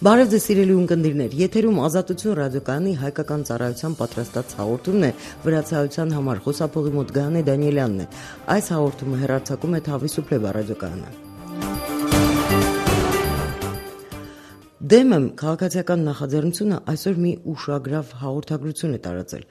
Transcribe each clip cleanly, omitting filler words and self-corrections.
Բարև ձեզ սիրելի ունկնդիրներ, եթերում Ազատություն ռադիոկայանի հայկական ծառայության պատրաստած հաղորդումն է, վրացայության համար խոսափողի մոտ Գայանե Դանիելյանն է։ Այս հաղորդումը հեռարձակում է Թավիսուփլեբա ռադիոկայանը։ Դեմը քաղաքացիական նախաձեռնությունը այսօր մի ուշագրավ հաղորդագրություն է տարածել։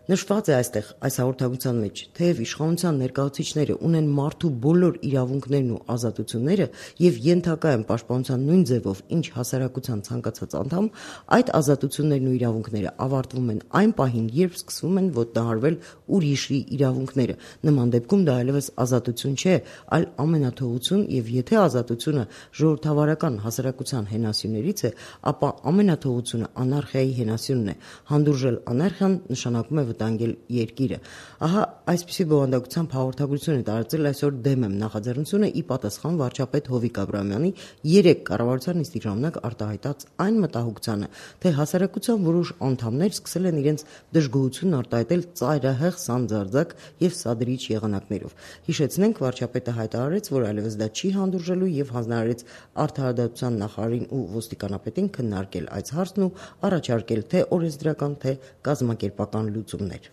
Նշված է այստեղ այս հաղորդագրության մեջ, թեև իշխանության ներկայացուցիչները ունեն մարդու բոլոր իրավունքներն ու ազատությունները եւ ենթակա են պաշտպանության նույն ձևով, ինչ հասարակության ցանկացած անդամ, այդ ազատություններն ու իրավունքները ավարտվում են այն պահին, երբ սկսվում են ոտնահարվել ուրիշի իրավունքները։ Նման դեպքում դա այլևս ազատություն չէ, այլ ամենաթողություն, եւ եթե ազատությունը ժողովրդավարական հասարակության հենասյուներից է, ապա ամենաթողությունը անարխիայի հենասյունն է։ Հանդուրժել անարխիան նշանակում է վտանգել երկիրը։ Ահա այսպիսի բովանդակությամբ հաղորդագրություն է տարածել այսօր Դեմեմ նախաձեռնությունը ի պատասխան վարչապետ Հովիկ Աբրահամյանի 3 կառավարության նիստի ժամանակ արտահայտած այն մտահոգությանը, թե հասարակության որոշ անդամներ սկսել են իրենց դժգոհությունն արտահայտել ծայրահեղ սանձարձակ եւ սադրիչ եղանակներով։ Հիշեցնենք, վարչապետը հայտարարեց, որ այլևս դա չի հանդուրժելու եւ հանձնարարեց արդարադատության նախարարին ու ոստիկանապետին քննարկել այս հարցն ու առաջարկել թե օրենսդրական, թե կազմակերպական լուծումներ։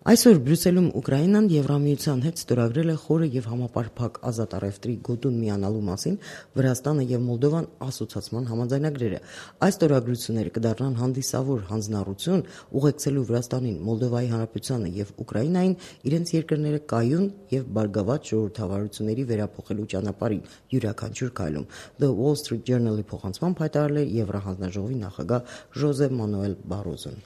Այսօր Բրյուսելում Ուկրաինան Եվրամիության հետ ստորագրել է խորը եւ համապարփակ ազատ առևտրի գոտուն միանալու մասին Վրաստանը եւ Մոլդովան ասոցիացման համաձայնագրերը։ Այս ստորագրությունները կդառնան հանդիսավոր հանձնառություն ուղեկցելու Վրաստանին, Մոլդովայի Հանրապետությանը եւ Ուկրաինային իրենց երկրները կայուն եւ բարգավաճ ժողովրդավարությունների վերափոխելու ճանապարհին յուրաքանչյուր քայլում։ The Wall Street Journal-ի փոխանցմամբ հայտարարել է Եվրահանձնաժողովի նախագահ Ժոզե Մանուել Բարոզոն։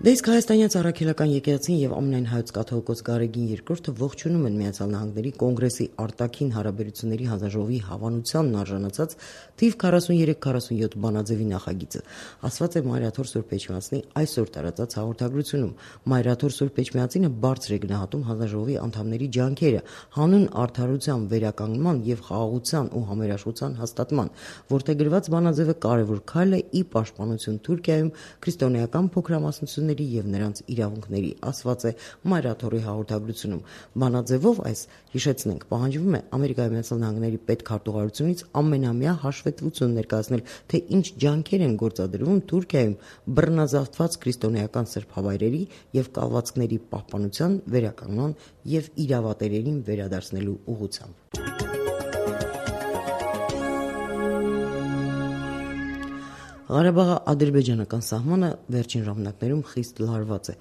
Դեսկ հայաստանյան առաքելական եկեղեցին եւ ամենայն հայոց կաթողիկոս Գարեգին II ողջունում են Միացյալ Նահանգների կոնգրեսի արտաքին հարաբերությունների հանձնաժողովի հավանությանն արժանացած թիվ 43-47 բանաձևի նախագիծը, ասված է Մայրաթոր Սուրբ Էջմիածնի այսօր տարածած հաղորդագրությունում։ Մայրաթոր Սուրբ Էջմիածինը բարձր է գնահատում հանձնաժողովի անդամների ջանքերը հանուն արդարության վերականգնման եւ խաղաղության ու համերաշխության հաստատման, որտեղ գրված բանաձևը կարևոր քայլ է ի պաշտպանություն Թուրքիայում քրիստոնեական փոքրամասնությունների եւ նրանց իրավունքների, ասված է Մայրաթորի հաղորդագրությունում։ Բանաձևով այս, հիշեցնենք, պահանջվում է Ամերիկայի Միացյալ Նահանգների պետքարտուղարությունից ամենամյա հաշվետվություն ներկայացնել, թե ինչ ջանքեր են գործադրվում Թուրքիայում բռնազավթված քրիստոնեական սրբավայրերի եւ կալվածքների պահպանության, վերականգնման եւ իրավատերերին վերադարձնելու ուղղությամբ։ Ղարաբաղի ադրբեջանական սահմանը վերջին ժամանակներում խիստ լարված է,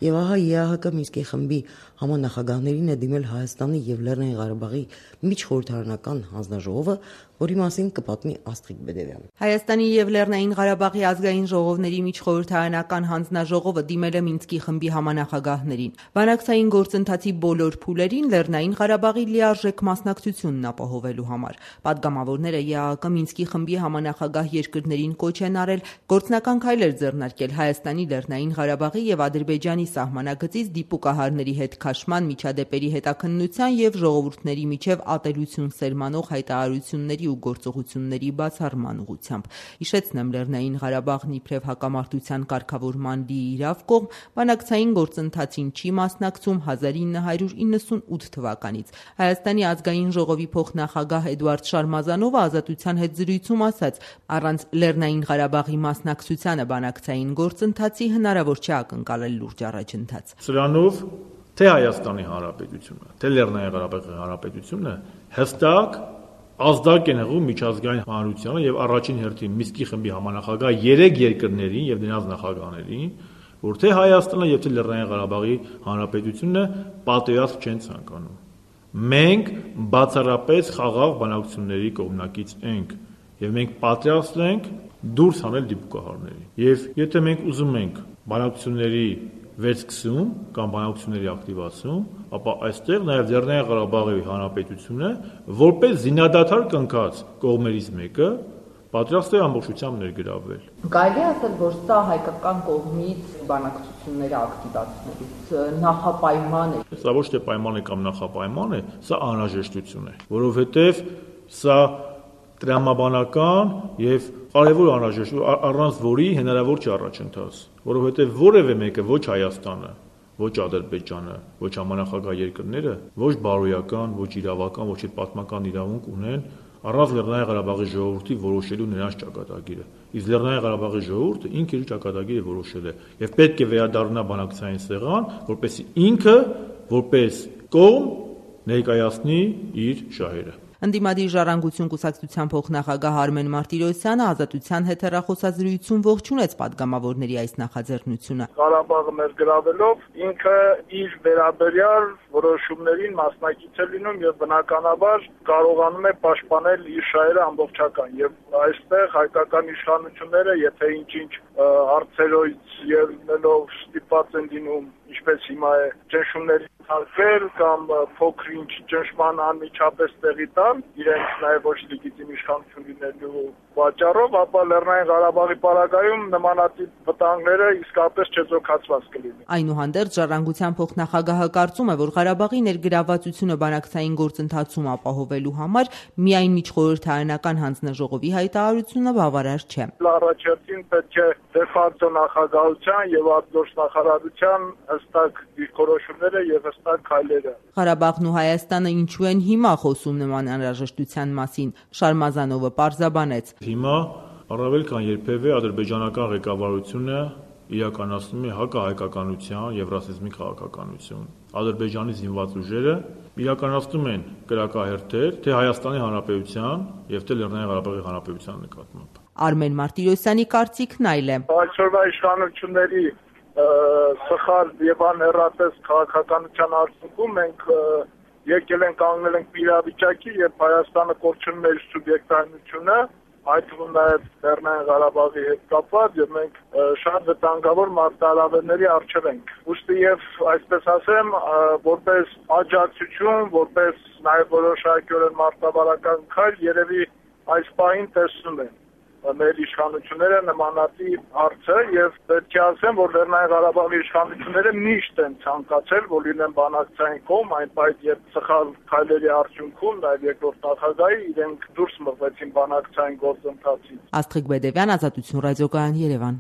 եւ ահա ԵԱՀԿ Մինսկի խմբի համանախագահներին է դիմել Հայաստանի եւ Լեռնային Ղարաբաղի միջխորհրդարանական հանձնաժողովը, որի մասին կպատմի Աստղիկ Բեդևյանը։ Հայաստանի եւ Լեռնային Ղարաբաղի ազգային ժողովների միջխորհրդարանական հանձնաժողովը դիմել է Մինսկի խմբի համանախագահներին։ Բանակցային գործընթացի բոլոր փուլերին Լեռնային Ղարաբաղի լիարժեք մասնակցությունն ապահովելու համար։ Պատգամավորները ԵԱՀԿ Մինսկի խմբի համանախագահ երկրներին կոչ են արել գործնական քայլեր ձեռնարկել Հայաստանի, Լեռնային Ղարաբաղի եւ Ադրբեջանի սահմանագծից դիպուկահարների հետ քաշման, միջադեպերի հետաքննության եւ ժողովուրդների միջև ատելություն սերմանող հայտարարությունների ու գործողությունների բացառման ուղղությամբ։ Հիշեցնեմ, Լեռնային Ղարաբաղն իբրև հակամարտության կարգավորման լիիրավ կողմ բանակցային գործընթացին չի մասնակցում 1998 թվականից։ Հայաստանի ազգային ժողովի փոխնախագահ Էդուարդ Շարմազանովը Ազատության հետ զրույցում ասաց, առանց Լեռնային Ղարաբաղի մասնակցությանը բանակցային գործընթացի հնարավոր չէ ակնկալել լուրջ առաջընթաց։ Սրանով թե Հայաստանի Հանրապետությունը, թե Լեռնային Ղարաբաղի Հանրապետությունը հստակ ազդակ են հղում միջազգային հանրությանը եւ առաջին հերթին Մինսկի խմբի համանախագահ 3 երկրներին եւ նրանց նախագահներին, որ թե Հայաստանը եւ թե Լեռնային Ղարաբաղի Հանրապետությունը պատերազմ չեն ցանկանում։ Մենք բացառապես խաղաղ բանակցությունների կողմնակից ենք եւ մենք պատրաստ ենք դուրս հանել դիպուկահարների։ Եվ եթե մենք ուզում ենք բանակցությունների վերսկսում կամ բանակցությունների ակտիվացում, ապա այստեղ նաև Լեռնային Ղարաբաղի Հանրապետությունը որպես զինադադար կնքած կողմերից մեկը պատրաստ է ամբողջությամբ ներգրավվել։ Կարելի է ասել, որ սա հայկական կողմից բանակցությունները ակտիվացնելուց նախապայման է։ Սա ոչ թե պայման է կամ նախապայման է, սա անհրաժեշտություն է, որովհետև սա տրամաբանական եւ կարևոր անհրաժեշտ, առանց որի հնարավոր չի առաջընթաց, որովհետեւ որևէ մեկը ոչ Հայաստանը, ոչ Ադրբեջանը, ոչ համանախագահ երկրները, ոչ բարոյական, ոչ իրավական, ոչ պատմական իրավունք ունեն առանց Լեռնային Ղարաբաղի ժողովրդի որոշելու նրանց ճակատագիրը։ Իսկ Լեռնային Ղարաբաղի ժողովուրդը ինքը իր ճակատագիրը որոշել է եւ պետք է վերադառնա բանակցային սեղան, որպեսզի ինքը որպես կողմ ներկայացնի իր շահերը։ Ընդդիմադիր ժառանգություն կուսակցության փոխնախագահ Արմեն Մարտիրոսյանը Ազատության հետ հեռախոսազրույցում ողջունեց падգամավորների այս նախաձեռնությունը։ Ղարաբաղը ներգրավելով ինքը իր վերաբերյալ որոշումներին մասնակից է լինում եւ բնականաբար կարողանում է պաշտպանել իր շահերը ամբողջական եւ այստեղ հայկական իշխանությունները եթե ինչ-ինչ հարցերից ելնելով ստիպված են լինում ինչպես հիմա է ճնշումների հարկել կամ փոքր-ինչ ճնշման անմիջապես տեղի տալ իրենց նաև ոչ լեգիտիմ իշխանություն լինելու պատճառով, ապա Լեռնային Ղարաբաղի պարագայում նմանատիպ վտանգները իսկապես չեզոքացված կլինի։ Այնուհանդերձ ժառանգության փոխնախագահը կարծում է, որ Ղարաբաղի ներգրավվածությունը բանակցային գործընթացում ապահովելու համար միայն միջխորհրդարանական հանձնաժողովի հայտարարությունը բավարար չէ։ Առաջին պետք է դեֆակտո նախագահության եւ արտգործնախարարության հստակ դիրքորոշումները եւ հստակ քայլերը։ Ղարաբաղն ու Հայաստանը ինչու են հիմա խոսում նման անհրաժեշտության մասին, Շարմազանովը պարզաբանեց։ Հիմա առավել քան երբևէ ադրբեջանական ղեկավարությունը իրականացնում է հակահայկականության եւ ռասիզմի քաղաքականություն։ Ադրբեջանի զինված ուժերը իրականացնում են կրակահերթեր թե Հայաստանի Հանրապետության եւ թե Լեռնային Ղարաբաղի Հանրապետության նկատմամբ։ Արմեն Մարտիրոսյանի կարծիքն այլ է։ Այսօրվա իշխանությունների սխալ եւ անհեռատես քաղաքականության արդյունքում մենք եկել ենք կանգնել ենք իրավիճակի, երբ Հայաստանը կորցնում է իր սուբյեկտայնությունը, այդ թվում նաև Լեռնային Ղարաբաղի հետ կապված եւ մենք շատ վտանգավոր մարտահրավերների առջև ենք։ Ուստի եւ այսպես ասեմ, որպես աջակցություն, որպես նաև որոշակիորեն մարտավարական քայլ երևի այս պահին տեսնում են մեր իշխանությունները նմանատիպ հարցը եւ պետք է ասեմ, որ Լեռնային Ղարաբաղի իշխանությունները միշտ են ցանկացել, որ լինեն բանակցային կողմ, այն պայդ երբ սխալ քայլերի արդյունքում նաեւ երկրորդ նախագահի իրենք դուրս մղվեցին բանակցային գործընթացից։ Աստղիկ Բեդևյան, Ազատություն ռադիոկայան, Երևան։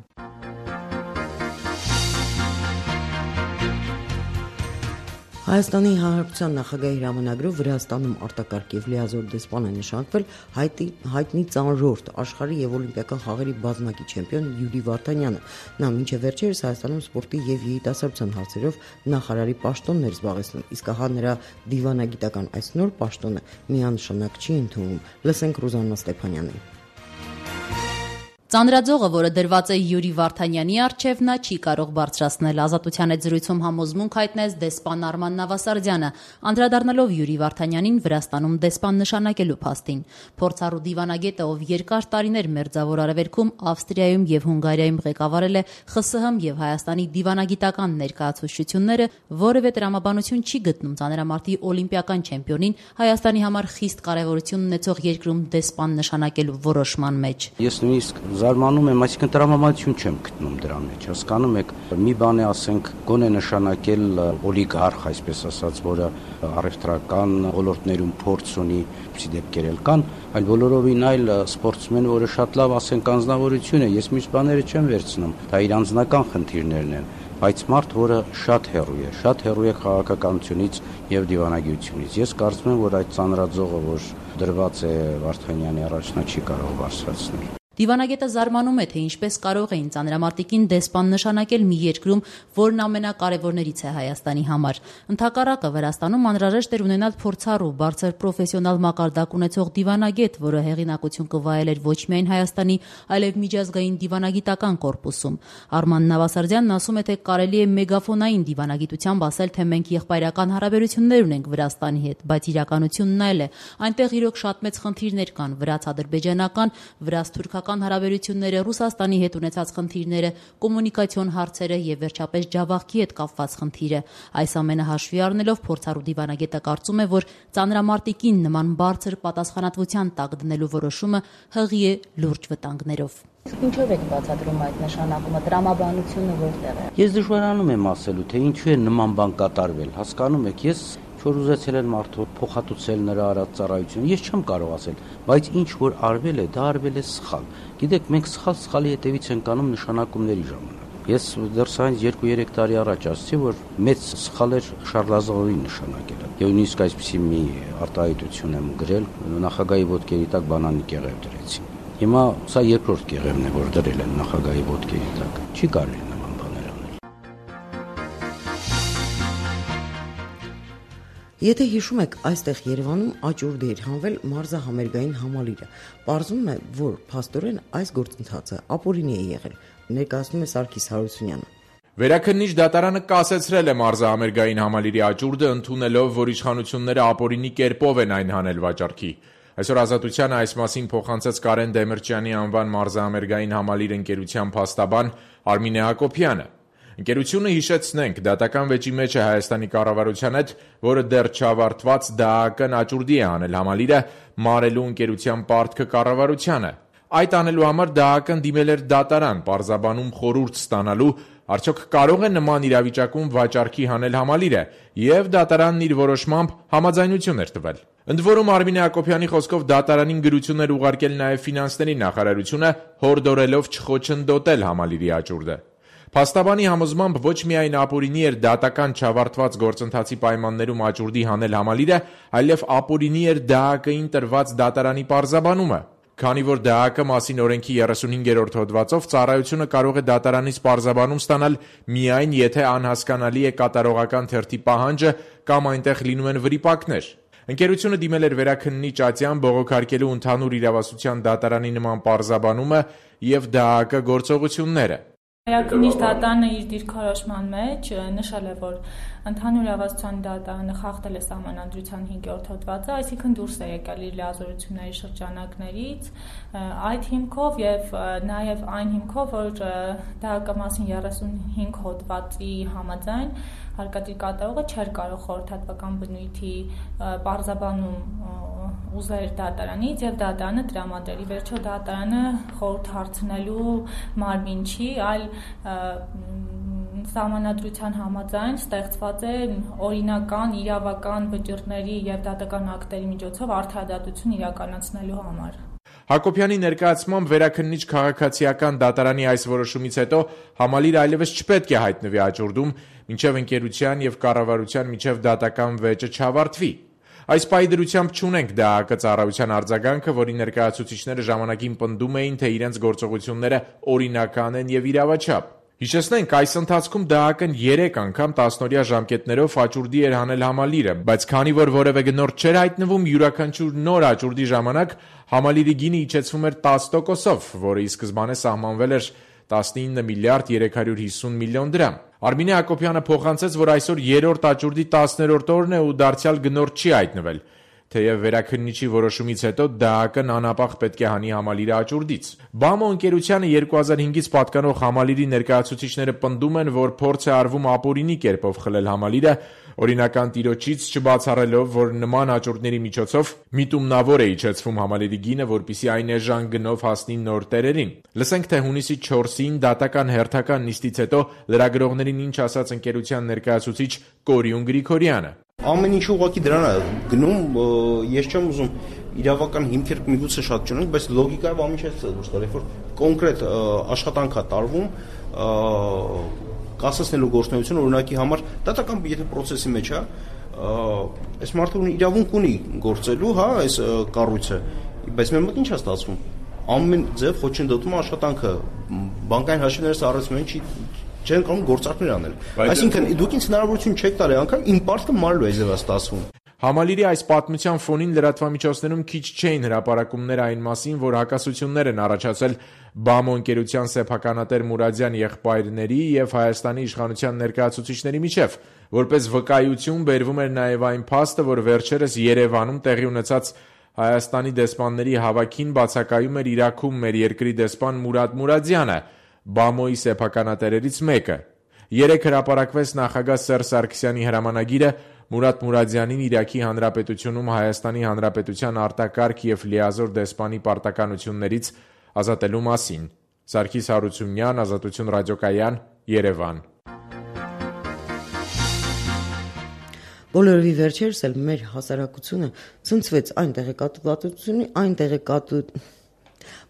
Հայաստանի Հանրապետության նախագահի հրամանագրով Վրաստանում արտակարգ եւ լիազոր դեսպան է նշանակվել հայտնի ծանրորդ աշխարհի եւ օլիմպիական խաղերի բազմակի չեմպիոն Յուրի Վարդանյանը։ Նա մինչև վերջերս Հայաստանում սպորտի եւ երիտասարդության հարցերով նախարարի պաշտոնն էր զբաղեցնում, իսկ ահա նրա դիվանագիտական այս նոր պաշտոնը միանշանակ չի ընդունվում։ Լսենք Ռուզաննա Ստեփանյանին։ Ծանրաձողը, որը դրված է Յուրի Վարդանյանի առջև, նա չի կարող բարձրացնել։ Ազատության հետ զրույցում համոզմունք հայտնեց դեսպան Արման Նավասարդյանը, անդրադառնալով Յուրի Վարդանյանին Վրաստանում դեսպան նշանակելու փաստին։ Փորձառու դիվանագետը, ով երկար տարիներ Մերձավոր Արևելքում, Ավստրիայում եւ Հունգարիայում ղեկավարել է ԽՍՀՄ եւ Հայաստանի դիվանագիտական ներկայացուցչությունները, որևէ տրամաբանություն չի գտնում ծանրամարտի օլիմպիական չեմպիոնին Հայաստանի համար խիստ կարեւորություն ունեցող երկրում դեսպան նշանակելու որոշման մեջ։ Ես նույնիսկ զարմանում եմ, այսինքն տրամաբանություն չեմ գտնում դրա մեջ։ Հասկանում եք, մի բան է, ասենք, գոնե նշանակել օլիգարխ, այսպես ասած, որը առևտրական ոլորտներում փորձ ունի, ինչի դեպքեր էլ կան, այլ բոլորովին այլ սպորտսմեն, որը շատ լավ, ասենք, անձնավորություն է։ Ես միշտ բաները չեմ վերցնում, դա իր անձնական խնդիրներն են, բայց մարդ, որը շատ հեռու է քաղաքականությունից եւ դիվանագիտությունից։ Ես կարծում եմ, որ այդ ծանրաձողը, որ դրված է Վարդանյանի առաջ, նա չի կարող բարձրացնել։ Դիվանագետը զարմանում է, թե ինչպես կարող էին ծանրամարտիկին դեսպան նշանակել մի երկրում, որն ամենակարևորներից է Հայաստանի համար։ Ընդհակառակը Վրաստանում անհրաժեշտ էր ունենալ փորձառու, բարձր պրոֆեսիոնալ մակարդակ ունեցող դիվանագետ, որը հեղինակություն կվայելեր ոչ միայն Հայաստանի, այլև միջազգային դիվանագիտական կորպուսում։ Արման Նավասարդյանն ասում է, թե կարելի է մեգաֆոնային դիվանագիտությամբ ասել, թե մենք եղբայրական հարաբերություններ ունենք Վրաստանի հետ, բայց իրականությունն այլ է։ Այնտեղ իրոք շատ մեծ խնդիրներ կան՝ վրաց-ադրբեջանական, վրաց-թուրքական հարաբերությունները, Ռուսաստանի հետ ունեցած խնդիրները, կոմունիկացիոն հարցերը եւ վերջապես Ջավախքի հետ կապված խնդիրը։ Այս ամենը հաշվի առնելով փորձառու դիվանագետը կարծում է, որ ծանրամարտիկին նման բարձր պատասխանատվության տակ դնելու որոշումը հղի է լուրջ վտանգներով։ Ինչով եք բացատրում այդ նշանակումը, տրամաբանությունը որտեղ է։ Ես դժվարանում եմ ասելու, թե ինչու է նման բան կատարվել։ Հասկանում եք, ես Չոր ուզեցել են մարդու փոխհատուցել նրա արած ծառայությունը, ես չեմ կարող ասել, բայց ինչ որ արվել է, դա արվել է սխալ։ Գիտեք, մենք սխալի հետևից ենք անում նշանակումների ժամանակ։ Ես դեռ սրանից 2-3 տարի առաջ ասացի, որ մեծ սխալ էր Շարլազողովի նշանակելը։ Եվ նույնիսկ այսպիսի մի արտահայտություն եմ գրել, նախագահի ոտքերի տակ բանանի կեղև դրեցի։ Հիմա սա երկրորդ կեղևն է, որ դրել են նախագահի ոտքերի տակ։ Չի կարելի նման բաներ անել։ Եթե հիշում եք, այստեղ Երևանում աճուրդ էր հանվել մարզահամերգային համալիրը։ Պարզվում է, որ փաստորեն այս գործընթացը ապօրինի է եղել, ներկայացնում է Սարգիս Հարությունյանը։ Վերաքննիչ դատարանը կասեցրել է մարզահամերգային համալիրի աճուրդը, ընդունելով, որ իշխանությունները ապօրինի կերպով են այն հանել վաճառքի։ Այսօր Ազատությանը այս մասին փոխանցեց Կարեն Դեմիրճյանի անվան մարզահամերգային համալիր ընկերության փաստաբան Արմինե Հակոբյանը։ Ընկերությունը, հիշեցնենք, դատական վեճի մեջ է Հայաստանի կառավարության հետ, որը դեռ չավարտված ԴԱԱԿ-ն աճուրդի է հանել համալիրը, մարելու ընկերության պարտքը կառավարությանը։ Այդ անելու համար ԴԱԱԿ-ն դիմել էր դատարան, պարզաբանում խորհուրդ ստանալու, արդյոք կարող է նման իրավիճակում վաճառքի հանել համալիրը, եւ դատարանն իր որոշմամբ համաձայնություն էր տվել։ Ընդ որում Արմինե Հակոբյանի խոսքով դատարանին գրություն էր ուղարկել նաև ֆինանսների նախարարությունը, հորդորելով չխոչընդոտել համալիրի աճուրդը։ Փաստաբանի համոզմամբ ոչ միայն ապօրինի էր դատական չավարտված գործընթացի պայմաններում աճուրդի հանել համալիրը, այլև ապօրինի էր ԴԱԱԿ-ին տրված դատարանի պարզաբանումը։ Քանի որ ԴԱԱԿ մասին օրենքի 35-րդ հոդվածով ծառայությունը կարող է դատարանից պարզաբանում ստանալ միայն եթե անհասկանալի է կատարողական թերթի պահանջը կամ այնտեղ լինում են վրիպակներ։ Ընկերությունը դիմել էր վերաքննիչ Ատյան բողոքարկելու ընդհանուր իրավասության դատարանի նման պարզաբանումը եւ ԴԱԱԿ գործողությունները։ Վերաքննիչ դատարանը իր դիրքորոշման մեջ նշել է, որ ընդհանուր իրավասության դատարանը խախտել է Սահմանադրության 5-րդ հոդվածը, այսինքն դուրս է եկել իր լիազորությունների շրջանակներից, այդ հիմքով եւ նաեւ այն հիմքով, որ ԴԱԱԿ մասին 35 հոդվածի համաձայն հարկադիր կատարողը չէր կարող խորհրդատվական բնույթի պարզաբանում ուզել դատարանից եւ դատարանը տրամադրել։ Ի վերջո դատարանը խորհուրդ հարցնելու մարմին չի, այլ Սահմանադրության համաձայն ստեղծված է օրինական իրավական վճիռների եւ դատական ակտերի միջոցով արդարադատություն իրականացնելու համար։ Հակոբյանի ներկայացմամբ վերաքննիչ քաղաքացիական դատարանի այս որոշումից հետո համալիրը այլևս չպետք է հայտնվի աճուրդում, մինչև ընկերության եւ կառավարության միջև դատական վեճը չավարտվի։ Այս պահի դրությամբ չունենք ԴԱԱԿ ծառայության արձագանքը, որի ներկայացուցիչները ժամանակին պնդում էին, թե իրենց գործողությունները օրինական են եւ իրավաչափ։ Հիշեցնենք, այս ընթացքում ԴԱԱԿ-ն 3 անգամ 10-օրյա ժամկետներով աճուրդի էր հանել համալիրը, բայց քանի որ որևէ գնորդ չէր հայտնվում, յուրաքանչյուր նոր աճուրդի ժամանակ համալիրի գինը իջեցվում էր 10%-ով, որը ի սկզբանե սահմանվել էր 19 միլիարդ 350 միլիոն դրամ։ Արմինե Հակոբյանը փոխանցեց, որ այսօր երրորդ աճուրդի 10-րդ օրն է ու դարձյալ գնորդ չի հայտնվել։ Թեև վերաքննիչի որոշումից հետո ԴԱԱԿ-ն անապահ պետք է հանի համալիրը աճուրդից։ ԲԱՄՕ ընկերությանը 2005-ից պատկանող համալիրի ներկայացուցիչները պնդում են, որ փորձ է արվում ապօրինի կերպով խլել համալիրը, օրինական տիրոջից չբացառելով, որ նման աճուրդների միջոցով միտումնավոր է իջեցվում համալիրի գինը, որպեսզի այն էժան գնով հասնի նոր տերերին։ Լսենք, թե հունիսի 4-ին դատական հերթական նիստից հետո լրագրողներին ինչ ասաց ընկերության ներկայացուցիչ Կորյուն Գրիգորյանը։ Ամեն ինչ ուղղակի դրան է գնում, ես չեմ ուզում իրավական հիմքեր միգուցե շատ չունենք, բայց լոգիկայով ամեն ինչ է դուրս գալիս, որ կոնկրետ աշխատանք է տարվում, կասեցնելու գործունեություն օրինակի համար, դատական եթե process-ի մեջ է, այս մարդը իրավունք ունի գործելու, հա, այս կառույցը, բայց մեր մոտ ինչ է ստացվում։ Ամեն ձև խոչընդոտում աշխատանքը, բանկային հաշիվները սառեցնում են, չեն կարող գործարքներ անել։ Այսինքն դուք ինձ հնարավորություն չեք տալի անգամ իմ պարտքը մարելու է ձևա ստացվում։ Համալիրի այս պատմության ֆոնին լրատվամիջոցներում քիչ չէին հրապարակումներ այն մասին, որ հակասություններ են առաջացել ԲԱՄՕ ընկերության սեփականատեր Մուրադյան եղբայրների եւ Հայաստանի իշխանության ներկայացուցիչների միջև, որպես վկայություն բերվում էր նաեւ այն փաստը, որ վերջերս Երևանում տեղի ունեցած Հայաստանի դեսպանների հավաքին բացակայում էր Իրաքում մեր երկրի դեսպան Մուրադ Մուրադյանը, ԲԱՄՕ-ի սեփականատերերից մեկը։ Երեկ հրապարակվեց նախագահ Սերժ Սարգսյանի հրամանագիրը Մուրադ Մուրադյանին Իրաքի Հանրապետությունում Հայաստանի Հանրապետության արտակարգ եւ լիազոր դեսպանի պարտականություններից ազատելու մասին։ Սարգիս Հարությունյան, Ազատություն ռադիոկայան, Երևան։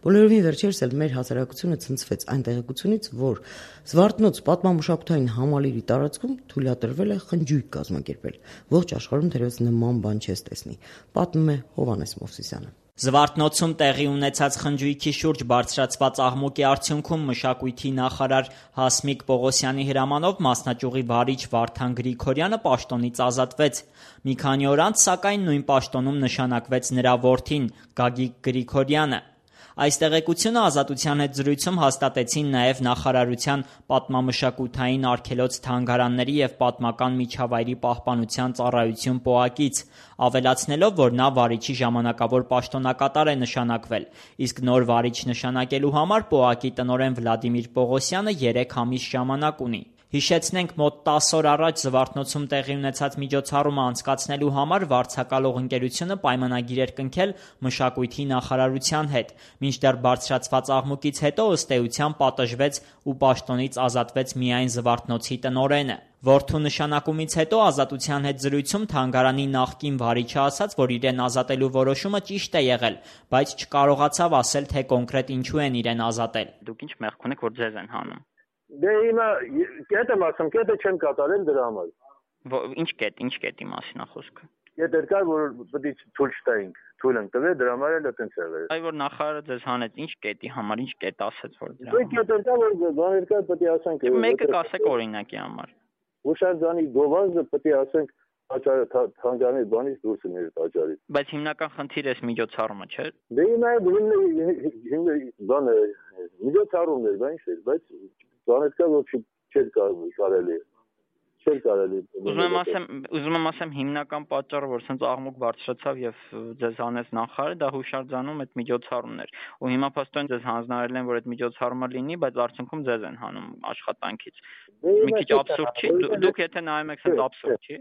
Բոլորովի վերջերս էլ մեր հասարակությունը ցնցվեց այն տեղեկությունից, որ Զվարթնոց պատմամշակութային համալիրի տարածքում թույլատրվել է խնջույք կազմակերպել։ Ողջ աշխարհում թերևս նման բան չես տեսնի, պատմում է Հովհաննես Մովսիսյանը։ Զվարթնոցում տեղի ունեցած խնջույքի շուրջ բարձրացված աղմուկի արդյունքում մշակույթի նախարար Հասմիկ Պողոսյանի հրամանով մասնաճյուղի վարիչ Վարդան Գրիգորյանը պաշտոնից ազատվեց։ Մի քանի օր անց, սակայն, նույն պաշտոնում նշանակվեց նրա որդին Գագիկ Գրիգորյանը։ Այս տեղեկությունը Ազատության հետ զրույցում հաստատեցին նաև նախարարության պատմամշակութային արգելոց թանգարանների եւ պատմական միջավայրի պահպանության ծառայություն ՊՕԱԿ-ից, ավելացնելով, որ նա վարիչի ժամանակավոր պաշտոնակատար է նշանակվել, իսկ նոր վարիչ նշանակելու համար ՊՕԱԿ-ի տնօրեն Վլադիմիր Պողոսյանը 3 ամիս ժամանակ ունի։ Հիշեցնենք, մոտ 10 օր առաջ Զվարթնոցում տեղի ունեցած միջոցառումը անցկացնելու համար վարձակալող ընկերությունը պայմանագիր էր կնքել մշակույթի նախարարության հետ, մինչդեռ բարձրացված աղմուկից հետո ըստ էության պատժվեց ու պաշտոնից ազատվեց միայն Զվարթնոցի տնօրենը։ Որդու նշանակումից հետո Ազատության հետ զրույցում թանգարանի նախկին վարիչը ասաց, որ իրեն ազատելու որոշումը ճիշտ է եղել, բայց չկարողացավ ասել, թե կոնկրետ ինչու են իրեն ազատել։ Դուք ինչ մեղք ունեք, որ ձեզ են հանում։ Դե հիմա կետ եմ ասում, կետը չեմ կատարել դրա համար։ Ինչ կետի մասին է խոսքը։ Կետ էր կար, որ պետք է թույլ չտայինք, թույլ ենք տվել, դրա համար էլ այդպես եղել։ Այ որ նախարարը ձեզ հանեց, ինչ կետի համար, ինչ կետ ասեց, որ դրա։ Դե կետ էր կար, որ բաներ կար, պետք է ասենք։ Մեկը կասեք օրինակի համար։ Հուշարձանի գովազդը պետք է ասենք թանգարանի բանից դուրս է տաճարի։ Բայց հիմնական խնդիրը էս միջոցառումը չէ։ Դե հիմա բանը միջոցառումն էր, բայց բաներ կա, որ չէր կարելի։ Ուզում եմ ասեմ հիմնական պատճառը, որ սենց աղմուկ բարձրացավ եւ ձեզ հանեց նախարարը, դա հուշարձանում այդ միջոցառումն էր։ Ու հիմա փաստորեն ձեզ հանձնարարել են, որ այդ միջոցառումը լինի, բայց արդյունքում ձեզ են հանում աշխատանքից։ Մի քիչ աբսուրդ չի։ Դուք եթե նայում եք, սենց աբսուրդ չի։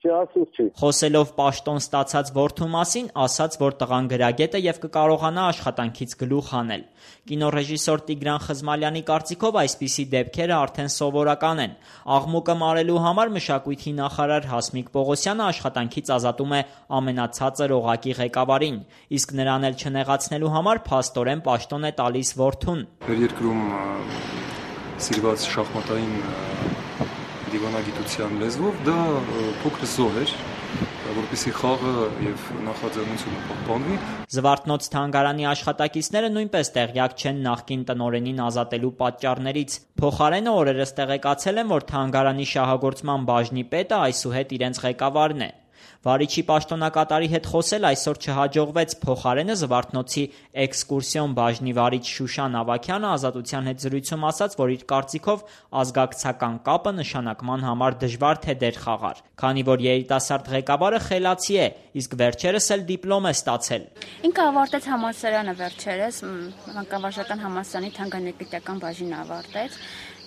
Խոսելով պաշտոն ստացած որդու մասին, ասաց, որ տղան գրագետ է եւ կկարողանա աշխատանքից գլուխ հանել։ Կինոռեժիսոր Տիգրան Խզմալյանի կարծիքով այսպիսի դեպքերը արդեն սովորական են։ Աղմուկը մարելու համար մշակույթի նախարար Հասմիկ Պողոսյանը աշխատանքից ազատում է ամենացածր օղակի ղեկավարին, իսկ նրան էլ չնեղացնելու համար փաստորեն պաշտոն է տալիս որդուն։ Մեր երկրում սիրված շախմատային դիվանագիտության լեզվով դա փոքր զոհ էր, որպեսզի խաղը եւ նախաձեռնությունը պահպանվի։ Զվարթնոց թանգարանի աշխատակիցները նույնպես տեղյակ չեն նախկին տնօրենին ազատելու պատճառներից։ Փոխարենը օրերս տեղեկացել են, որ թանգարանի շահագործման բաժնի պետը այսուհետ իրենց ղեկավարն է։ Վարիչի պաշտոնակատարի հետ խոսել այսօր չհաջողվեց, փոխարենը Զվարթնոցի էքսկուրսիոն բաժնի վարիչ Շուշան Ավագյանը Ազատության հետ զրույցում ասաց, որ իր կարծիքով ազգակցական կապը նշանակման համար դժվար թե դեր խաղար, քանի որ երիտասարդ ղեկավարը խելացի է, իսկ վերջերս էլ դիպլոմ է ստացել։ Ինքը ավարտեց համալսարանը վերջերս, մանկավարժական համալսարանի թանգարանագիտական բաժինը ավարտեց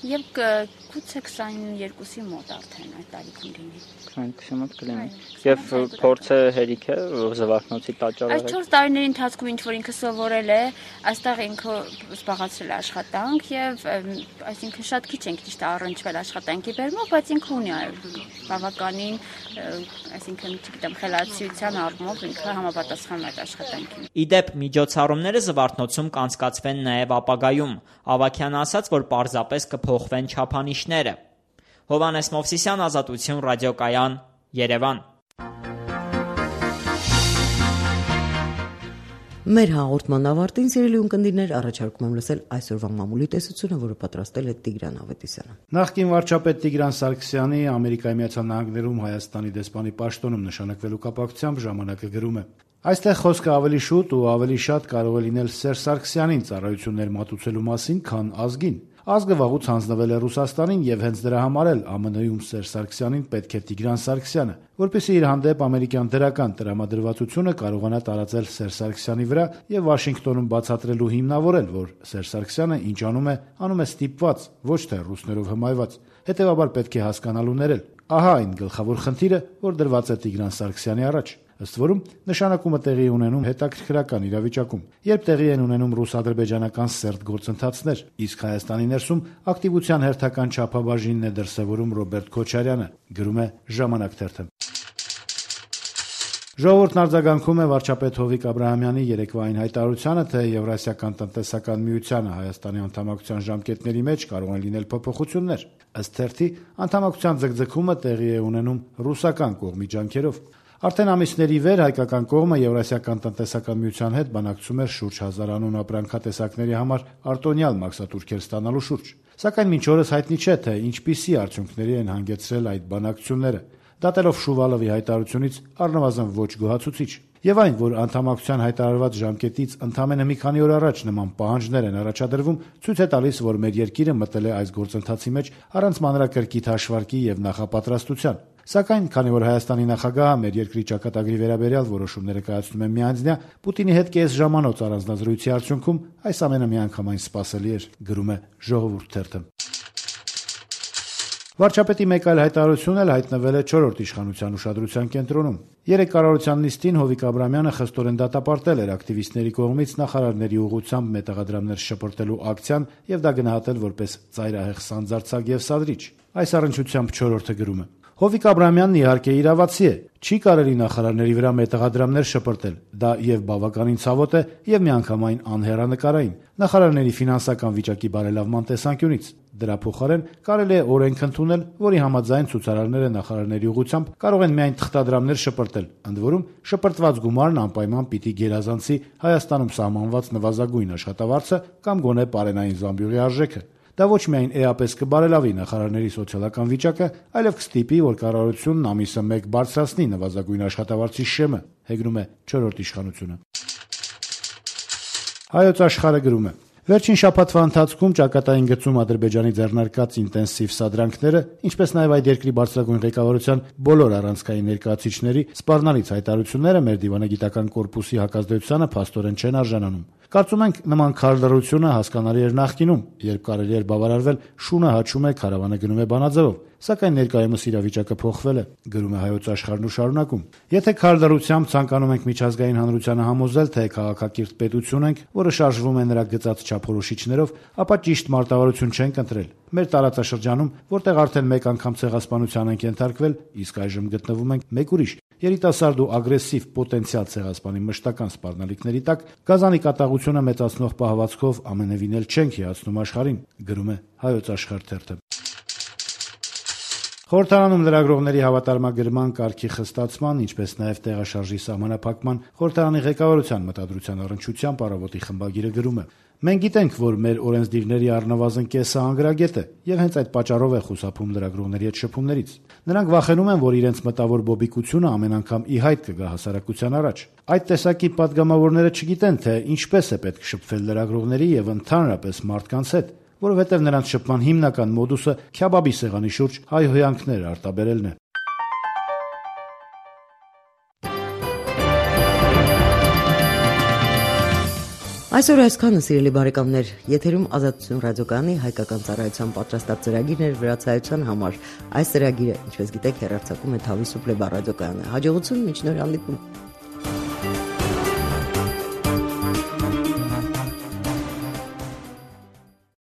եւ գուցե 22-ի մոտ արդեն այդ տարիքում լինի։ 22-ի մոտ կլինի։ Եվ փորձը հերիք է Զվարթնոցի տաճարը։ Այս 4 տարիների ընթացքում ինչ որ ինքը սովորել է, այստեղ ինքը զբաղացրել է աշխատանք եւ այսինքն շատ քիչ ենք ճիշտ առնչվել աշխատանքի բերումով, բայց ինքը ունի բավականին, այսինքն չգիտեմ, խելացիության առումով ինքը համապատասխանում է այդ աշխատանքին։ Իդեպ միջոցառումները Զվարթնոցում կանցկացվեն նաեւ ապագայում։ Ավագյանը ասաց, որ պարզապես կփոխվեն չափանիշները։ Հովհաննես Մովսիսյան, Ազատություն ռադիոկայան, Երևան։ Մեր հաղորդման ավարտին, սիրելի ունկնդիրներ, առաջարկում եմ լսել այսօրվա մամուլի տեսությունը, որը պատրաստել է Տիգրան Ավետիսյանը։ Նախկին վարչապետ Տիգրան Սարգսյանի Ամերիկայի Միացյալ Նահանգներում Հայաստանի դեսպանի պաշտոնում նշանակվելու կապակցությամբ ժամանակը գրում է. Այստեղ խոսքը ավելի շուտ ու ավելի շատ կարող է լինել Սերժ Սարգսյանին ծառայություններ մատուցելու մասին, քան ազգին։ Ազգը վաղուց հանձնվել է Ռուսաստանին եւ հենց դրա համար էլ ԱՄՆ-ում Սերժ Սարգսյանին պետք է Տիգրան Սարգսյանը, որպեսզի իր հանդեպ ամերիկյան դրական տրամադրվածությունը կարողանա տարածել Սերժ Սարգսյանի վրա եւ Վաշինգտոնում բացատրելու հիմնավորել, որ Սերժ Սարգսյանը ինչ անում է ստիպված, ոչ թե ռուսներով հմայված։ Հետևաբար պետք է հասկանալու ներել։ Ահա այն գլխավոր խնդիրը, որ դրված է Տիգրան Սարգսյանի առաջ։ Ըստ որում նշանակումը տեղի ունենում հետաքրքրական իրավիճակում, երբ տեղի են ունենում ռուս-ադրբեջանական սերտ գործընթացներ, իսկ Հայաստանի ներսում ակտիվության հերթական չափաբաժինն է դրսևորում Ռոբերտ Քոչարյանը, գրում է Ժամանակ թերթը։ Ժողովուրդն արձագանքում է վարչապետ Հովիկ Աբրահամյանի երեկվային հայտարարությանը, թե Եվրասիական տնտեսական միությանը Հայաստանի անդամակցության ժամկետների մեջ կարող են լինել փոփոխություններ։ Ըստ թերթի, անդամակցության ձգձգումը տեղի է ունենում ռուսական կողմի ջանքերով։ Արդեն ամիսների վեր հայկական կողմը Եվրասիական տնտեսական միության հետ բանակցում էր շուրջ 1000 անուն ապրանքատեսակների համար արտոնյալ մաքսատուրքեր ստանալու շուրջ։ Սակայն մինչ օրս հայտնի չէ, թե ինչպիսի արդյունքների են հանգեցրել այդ բանակցությունները։ Դատելով Շուվալովի հայտարարությունից առնվազն ոչ գոհացուցիչ։ Եվ այն, որ անդամակցության հայտարարված ժամկետից ընդամենը մի քանի օր առաջ նման պահանջներ են առաջադրվում, ցույց է տալիս, որ մեր երկիրը մտել է այս գործընթացի մեջ առանց մանրակրկիտ հաշվարկի եւ նախապատրաստության։ Սակայն, քանի որ Հայաստանի նախագահը մեր երկրի ճակատագրի վերաբերյալ որոշումները կայացնում է միանձնյա, Պուտինի հետ կես ժամանոց առանձնազրույցի արդյունքում այս ամենը միանգամայն սպասելի էր, գրում է Ժողովուրդ թերթը։ Վարչապետի մեկ այլ հայտարարություն էլ հայտնվել է 4-րդ իշխանության ուշադրության կենտրոնում։ Երեկ կառավարության նիստին Հովիկ Աբրահամյանը խստորեն դատապարտել էր ակտիվիստների կողմից նախարարների ուղղությամբ մետաղադրամներ շպրտելու ակցիան եւ դա գնահատել որպես ծայրահեղ սանձարձակ եւ սադրիչ։ Այս առնչությամբ 4-րդը գրում է. Հովիկ Աբրահամյանն իհարկե իրավացի է, չի կարելի նախարարների վրա մետաղադրամներ շպրտել, դա եւ բավականին ցավոտ է եւ միանգամայն անհեռանկարային, նախարարների ֆինանսական վիճակի բարելավման տեսանկյունից։ Դրա փոխարեն կարելի է օրենք ընդունել, որի համաձայն ցուցարարները նախարարների ուղղությամբ կարող են միայն թղթադրամներ շպրտել, ընդ որում շպրտված գումարն անպայման պիտի գերազանցի Հայաստանում սահմանված նվազագույն աշխատավարձը կամ գոնե պարենային զամբյուղի արժեքը։ Դա ոչ միայն էապես կբարելավի նախարարների սոցիալական վիճակը, այլև կստիպի, որ կառավարությունն ամիսը 1 բարձրացնի նվազագույն աշխատավարձի շեմը, հեգնում է 4-րդ իշխանությունը։ Հայոց աշխարհը գրում է. Վերջին շաբաթվա ընթացքում ճակատային գծում Ադրբեջանի ձեռնարկած ինտենսիվ սադրանքները, ինչպես նաև այդ երկրի բարձրագույն ղեկավարության բոլոր առանցքային ներկայացուցիչների սպառնալից հայտարարությունները մեր դիվանագիտական կորպուսի հակազդեցությանը փաստորեն չեն արժանանում։ Կարծում ենք նման քարլռությունը հասկանալի էր նախկինում, երբ կարելի էր բավարարվել շունը հաչում է, քարավանը գնում է բանաձևով, սակայն ներկայումս իրավիճակը փոխվել է, գրում է Հայոց աշխարհն ու շարունակում։ Եթե քարլռությամբ ցանկանում ենք միջազգային հանրությանը համոզել, թե քաղաքակիրթ պետություն ենք, որը շարժվում է նրա գծած չափորոշիչներով, ապա ճիշտ մարտավարություն չենք ընտրել։ Մեր տարածաշրջանում, որտեղ արդեն մեկ անգամ ցեղասպանության ենք ենթարկվել, իսկ այժմ գտնվում ենք մեկ ուրիշ երիտասարդ ու ագրեսիվ պոտենցիալ ցեղասպանի մշտական սպառնալիքների տակ, գազանի կատաղությունը մեծացնող պահվածքով ամենևին էլ չենք հիացնում աշխարհին, գրում է Հայոց աշխարհ թերթը։ Խորհրդարանում լրագրողների հավատարմագրման կարգի խստացման, ինչպես նաև տեղաշարժի սահմանափակման խորհրդարանի ղեկավարության մտադրության առնչությամբ առավոտի խմբագիրը գրում է. Մենք գիտենք, որ մեր օրենսդիրների առնվազն կեսը անգրագետ է եւ հենց այդ պատճառով է խուսափում լրագրողների հետ շփումներից։ Նրանք վախենում են, որ իրենց մտավոր բոբիկությունը ամեն անգամ ի հայտ կգա հասարակության առաջ։ Այդ տեսակի падգամավորները չգիտեն, թե ինչպես է պետք շփվել լրագրողների եւ ընդհանրապես մարդկանց հետ, որովհետև նրանց շփման հիմնական մոդուսը քյաբաբի սեղանի շուրջ հայհոյանքներ արտաբերելն է։ Այսօր այսքանը, սիրելի բարեկամներ, եթերում Ազատություն ռադիոկայանի հայկական ծառայության պատրաստած ծրագիրներ վրացայության համար։ Այս ծրագիրը, ինչպես գիտեք, հեռարձակում է Թավի Սուպլեբա ռադիոկայանը։ Հաջողություն, մինչ նոր հանդիպում։